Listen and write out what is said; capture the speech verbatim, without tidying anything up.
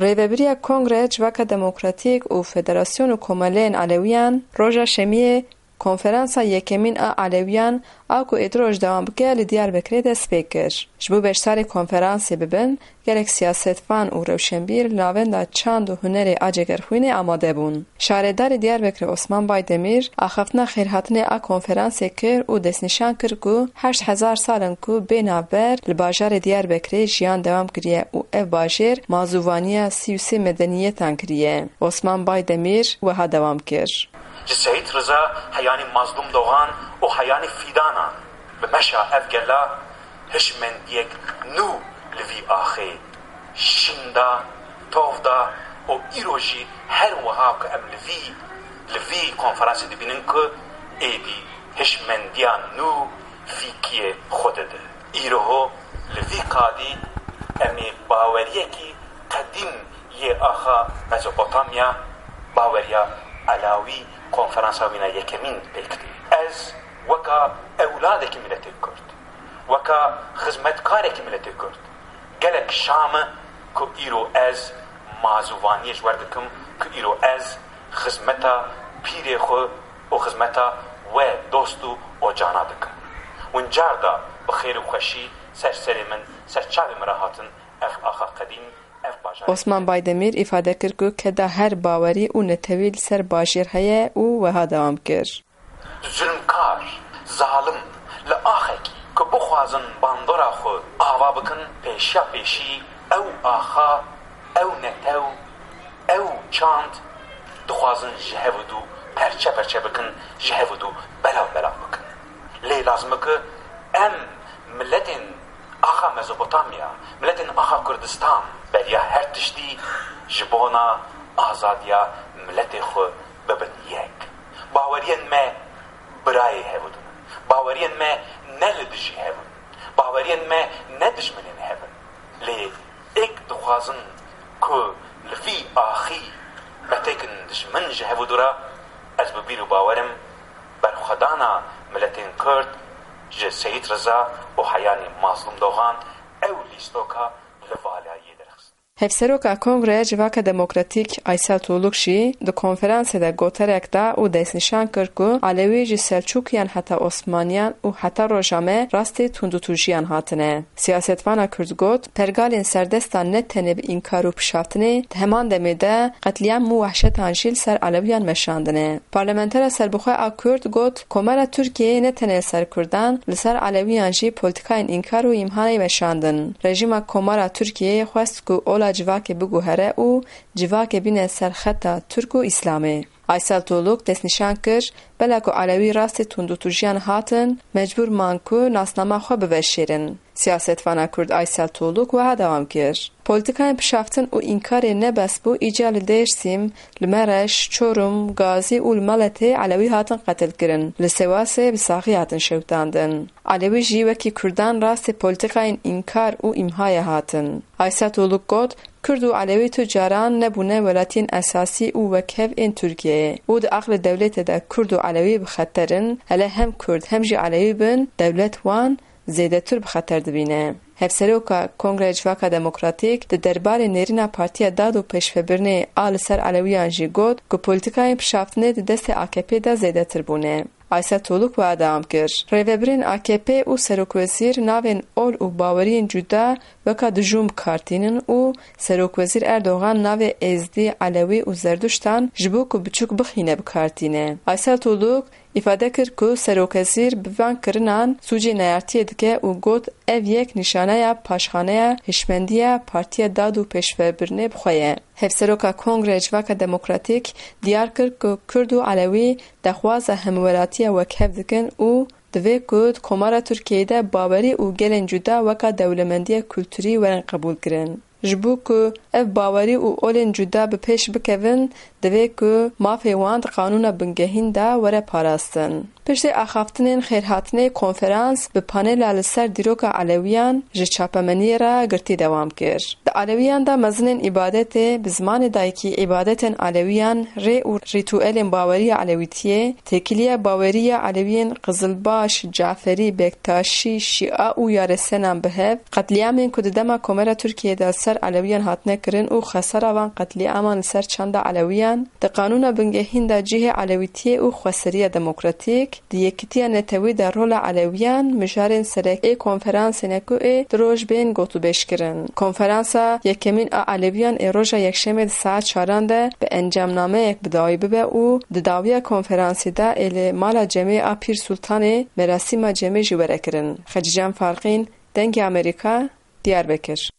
Rêvebiriya Kongreya Civaka Demokratîk û Federasyon û Komeleyên Elewiyan roja Şemiyê konferansa yekemîn a Elewiyan a ku êdî roj dewam bike li Diyarbekirê dest pê kir. Ji bo beşdarê konferansê bibin, gelek siyasetvan û rewşenbîr li navenda çand û hunerê a Cegerxwînê amade bûn. Şaredarê Diyarbekirê Osman Baydemîr axaftina xêrhatinê a konferansê kir û destnîşan kir ku heşt hezar sal in ku bê navber li bajarê Diyarbekirê jiyan dewam kiriye û ev bajêr mazûvaniya sî û sê medeniyetan kiriye. Osman Baydemîr wiha dewam kir. Ji Seyîd Riza heyanî Mazlûm Doxan û heyanî Fîdanan bi meşa ev gela hişmendiyek nû li vî axê şîn da, tov da û îro jî her wiha ku em li vî, li vî konferansê dibînin ku êdî hişmendiya nû fîkiyê xwe dide. Îroho li vî qadî em ê baweriyekî qedîm yê axa Mezopotamya, baweriya Elawî, konferansa wîna yekemîn pêk tê. Ez weka ewladekî miletê Kurd, weka xizmetkarekî miletê Kurd, gelek şa me ku îro ez mazûvaniyê ji wer dikim, ku îro ez xizmeta pîrê xwe û xizmeta we dost û ocana dikim. Wincar da bi xêr û xweşî ser serê min, ser çavê min re hatin ev axa qedîm, ev bajar. Osman Baydemîr îfade kir ku keda her bawerî û netewî li ser bajêr heye û wiha dewam kir. Zulmkar, zalim, li axekî ku bixwazin bandora xwe ava bikin, pêşiya pêşî ew axa, ew netew, ew çand dixwazin ji hev û dû perçe perçe bikin, ji hev û dû belav belav bikin. Lê lazim e ku em miletên axa Mezopotamya, miletên axa Kurdistan beriya her tiştî ji bona azadiya miletê xwe bibin yek. Baweriyên me birayê hev dibin. Baweriyên me ne li dijî hev in. Baweriyên me ne dijminên hev in. Lê êk dixwazin ku li vî axî me têkin dijmin ji hev û dû re, ez bi bîr û bawerim berxwedana miletên Kurd ji Seyîd Riza û heyanî Mazlûm Doxan ew lîstoka li valayê derxist. Hevseroka Kongreya Civaka Demokratîk Aysel Tuğluk jî di konferansê de goterek da û destnîşan kir ku Elewî ji Selçûkiyan heta Osmaniyan û heta roja me rastê tundûtûjiyan hatine. Siyasetvana Kurd got, pergalên serdestan ne tenê bi înkar û pişaftinê, di heman demê de qetlîam û wehşetan jî li ser Elewiyan meşandine. Parlamentera serbixwe a Kurd got, Komara Tirkiyeyê ne tenê li ser Kurdan, li ser Elewiyan jî polîtîkayên înkar û îmhanê meşandin. Rejîma Komara Tirkiyeyê xwest ku ola civakê biguhere û civakê bîne ser xeta Tirk û Îslamê. Aysel Tuğluk destnîşan kir, bela ku Elewî rastê tundûtûjiyan hatin, mecbûr man ku nasnama xwe biveşêrin. Siyasetvana Kurd Aysel Tuğluk wiha dewam kir, Polîtîkayên pişaftin û înkarê ne bes bû, îcar li Dêrsîm, li Mereş, Çorum, Gazî û li Meletê Elewî hatin qetilkirin, li Sêwasê bi saxî hatin şewitandin. Elewî jî wekî Kurdan rastê polîtîkayên înkar û îmhayê hatin. Aysel Tuğluk got, Kurd û Elewî tu caran nebûne welatiyên esasî û wekhev ên Tirkiyeyê û di aqlê dewletê de Kurd û Elewî bi xeter in, hele hem Kurd hem jî Elewî bin, dewlet wan zêdetir bi xeter dibîne. Hevseroka Kongreya Civaka Demokratîk di derbarê nêrîna Partiya Dad û Pêşvebirinê a li ser Elewiyan jî got ku polîtîkayên pişaftinê di destê A K P de zêdetir bûne. Aysel Tuğluk wiha dewam kir, Rêvebirên A K P û serokwezîr navên ol û baweriyên cuda weka dijûn bi kar tînin û serokwezîr Erdogan navê Êzdî, Elewî û Zerduştan ji bo ku biçûk bixîne bi kar tîne. Aysel Tuğluk îfade kir ku serokwezîr bi van kirinan sûcê neyartiyê dike û got, Ev yek nîşaneya paşxaneya hişmendiya Partiya Dad û Pêşvebirinê bi xwe ye. Hevseroka Kongreya Civaka Demokratîk diyar kir ku Kurd û Elewî daxwaza hemwelatiya wekhev dikin û divê ku di Komara Tirkiyeyê de bawerî û gelên cuda weka dewlemendiya kulturî werin qebûlkirin. Ji bo ku ev bawerî û olên cuda bi pêş bikevin, divê ku mafê wan di qanûna bingehîn de were parastin. Piştî axaftinên xêrhatinê konferans bi panela li ser dîroka Elewiyan ji çapemeniyê re girtî dewam kir. Di Elewiyan de mezinên îbadetê bi zimanê dayikî îbadetên Elewiyan, rê û rîtuelên baweriya Elewîtiyê, têkiliya baweriya Elewiyên Qizilbaş, Caferî, Bektaşî, Şîa û Yaresenan bi hev, qetlîamên ku di dema Komara Tirkiyê de li ser Elewiyan hatine kirin û xesara van qetlîaman li ser çanda Elewiyan, di qanûna bingehîn de cihê Elewîtiyê û xweseriya demokratîk, di yekitiya netewî de rola Elewiyan, mijarên sereke ê konferansê Nekoê di roj bên gotûbêj kirin. Konferansa yekemîn a Elewiyan ê roja Yekşemê di saet çaran de bi encamnameyek bi dawî bibe û di dawiya konferansê de ê li Mala Cemê a Pîr Sultanê merasîma cemê jî were kirin. Xecîcan Farqîn, Dengê Amerîka, Diyarbekir.